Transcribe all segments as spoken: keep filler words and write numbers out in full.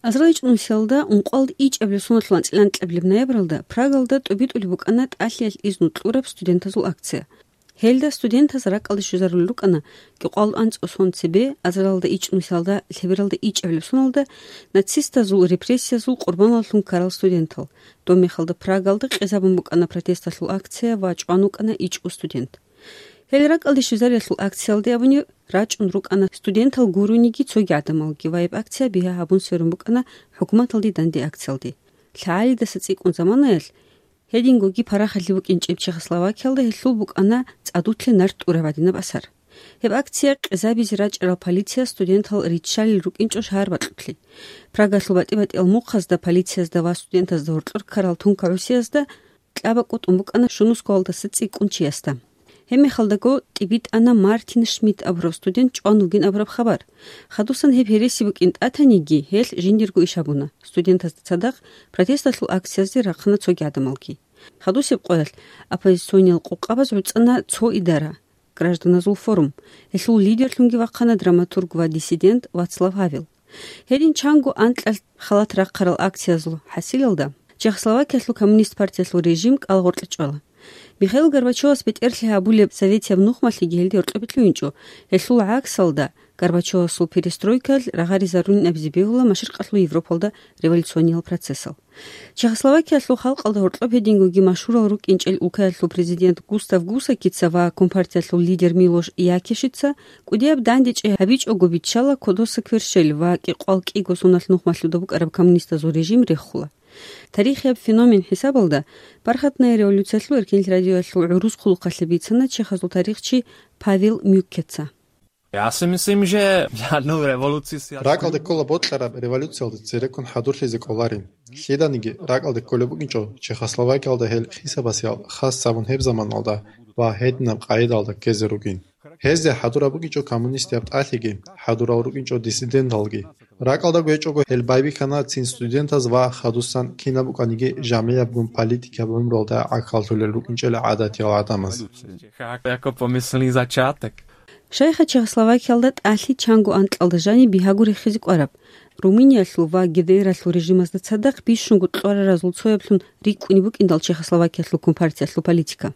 Азарилан ичӀнусиялда ункъоялда ичӀабилеб соналъул анцӀила анкьабилеб ноябралда Прагалда тӀубитӀулеб букӀана тӀалъиялъ изну кьураб студентазул акция. Гьелда студентаз ракӀалде щвезарулел рукӀана кӀикъоялда анцӀго сон цебе, азарилда ичӀнусиялда лъебералда ичӀабилеб соналда нацистазул репрессиязул къурбаналлъун ккарал студентал. Доб мехалда Прагалда къезабун букӀана протесталъул акция ва чӀван вукӀана ичӀго студент. Гьел ракӀалде щвезариялъул акциялде абуни рачӀун рукӀана студентал гурониги цоги гӀадамалги ва гьеб акция бигьа гьабун сверун букӀана хӀукуматалде данде акциялде. ЛъагӀалидаса цӀикӀкӀун заманаялъ, гьедингоги парахалъи букӀинчӀеб Чехословакиялда гьелъул букӀана цӀадулъе нарт тӀураб гӀадинаб асар. Гьеб акция къезабизе рачӀарал полиция студентал риччалел рукӀинчӀо шагьар бакьулъе. Прагалъул батӀи-батӀиял мухъазда полициязда ва студентазда гьоркьор ккарал тункагӀусиязда кьабакӀ букӀана щунусгоялдаса цӀикӀкӀун чиясда. Гьебмехалдаго тӀибитӀана Мартин Шмидт абураб студент чӀван вугин абураб хабар. Хадусан гьеб гьереси букӀин тӀатаниги, гьелъ жиндирго иш гьабуна. Студентазда цадахъ протесталъул акциязде рахъана цоги гӀадамалги. Хадусеб къоялъ оппозициониял къокъабаз гӀуцӀана цо идара, гражданазул форум. Гьелъул лидерлъунги вахъана драматург ва диссидент Вацлав Гьавел. Гьедин чанго анкьалъ халат рахъарал акциязул хӀасилалда Чехословакиялъул коммунист партиялъул режим кӀалагъоркье чӀвала. Михаил Горбачевас бетӀерлъи гьабулеб советияб нухмалъиги гьелде гьоркьобе лъугьинчӀо, гьелъул гӀаксалда Горбачевасул перестройкаялъ рагъаризарунин абизе бегьула машрикъалъул Европалда революциониял процессал. Чехословакиялъул халкъалда гьоркьоб гьедингоги машгьурал рукӀинчӀел улкаялъул президент Густав Гусакица ва компартиялъул лидер Милош Якишица кӀудияб дандечӀи гьабичӀого биччала кодоса кверщел ва кӀикъоялда кӀиго соналъ нухмалъуда букӀараб коммунистазул режим рехула. Тарихияб феномен хӀисабалда Бархатная революциялъул эркенлъи радиоялъул гӀурус хъулухъалъе бицана чехазул тарихчи Павел Мюккеца. Я си мислим, же жодну революцию си Ракалда ккола бокьараб революциялда цереккун хӀадурлъизе кӀоларин. Лъиданиги ракалда кколеб букӀинчӀо Чехословакиялда гьел хисабасиял хас гьабун гьеб заманалда ва гьединаб къайдалда ккезе ругин. Гьезде хӀадураб букӀинчӀо коммунистияб тӀалъиги, хӀадурал рукӀинчӀо диссиденталги. Ракалда гьечӀого гьел байбихьана цин студентаз ва хадусан кинаб букӀаниги жамигӀабгун политикаб гӀумруялда гӀахьаллъулел рукӀинчӀел гӀадатиял гӀадамаз. Яко помисли зачаток. Шайха Чехословакиялда тӀалъи чанго анкьалда жаниб бигьаго рехизе кӀвараб, Румыниялъул ва ГДРалъул режимазда цадахъ бищунго кьвараразул цояблъун рикӀкӀунеб букӀиндал Чехословакиялъул компартиялъул политика.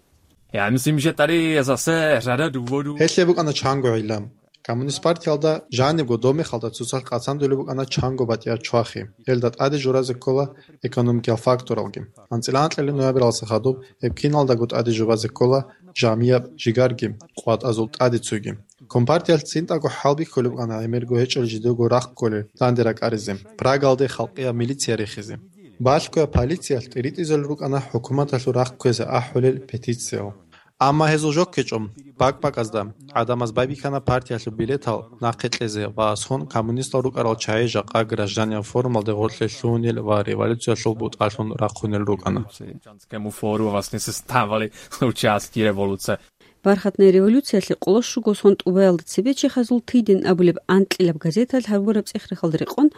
Я мислим, же тари засе жара дуводу. Гьелъе букӀана чанго гӀилла. Коммунист партиялда жанибго домехалда цоцалъ къацандулеб букӀана чанго батӀиял чвахи. Гьелда тӀаде журазе ккола экономикиял факторалги. АнцӀила анкьабилеб ноябралдаса хадуб гьеб киналдаго тӀаде жубазе ккола жамияб жигарги, къватӀазул тӀаде цуги. Компартиялъ цинтӀаго хӀалбихьулеб букӀана гӀемерго гьечӀел жидего рахъ кколел данде ракӀаризе, Прагалде халкъияб милиция рехизе. Балъгояб полициялъ тӀиритӀизел рукӀана хӀукуматалъул рахъ кквезе ахӀулел петициял. Амма гьезул жо ккечӀо, бакӀ-бакӀазда гӀадамаз байбихьана партиялъул билетал нахъе кьезе ва сон коммунистал рукӀарал чагӀи жакъа гражданиял форумалде гъорлъе лъугьунел ва революциялъул бутӀалъун рахъунел рукӀана. Чанскому фору власне составали участки революция. Бархатная революциялъе къоло щуго сон тӀубаялда цебе чехазул Тыйдин абулеб анкьилаб газеталъ гьабураб цӀех-рехалда рекъон,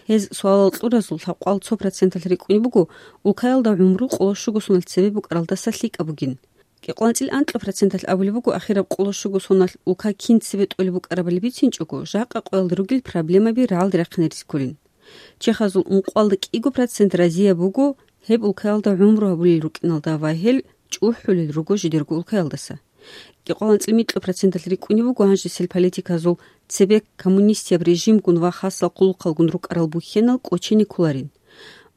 гьез суалал кьуразул лъабкъоялда цо проценталъ рикӀкӀунеб буго, улкаялда гӀумру къоло щуго соналъ цебе букӀаралдаса лъикӀаб бугин. КӀикъоялда анцӀила анкьа проценталъ абулеб буго ахираб къоло щуго соналъ улка кин цебе тӀолеб букӀарабали бицинчӀого, жакъа къоялда ругел проблемаби рагӀалде рахъине рискулин. Чехазул ункъоялда кӀиго процент разияб буго гьеб улкаялда гӀумру гьабулел рукӀиналда ва гьел чӀухӀулел руго жидерго улкаялдаса. КӀикъоялда анцӀила микьго проценталъ рикӀкӀунеб буго гьанжесел политиказул цебе коммунистияб режимгун ва хасал хъулухъалгун рукӀарал бухьенал кӀочене кколарин.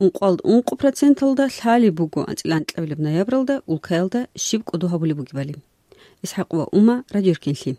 Ункъоялда ункъо проценталда лъалеб буго анцӀила анкьабилеб ноябралда улкаялда щиб кӀодо гьабулеб бугебали. ИсхӀакъ ва Ума, Радио Эркенлъи.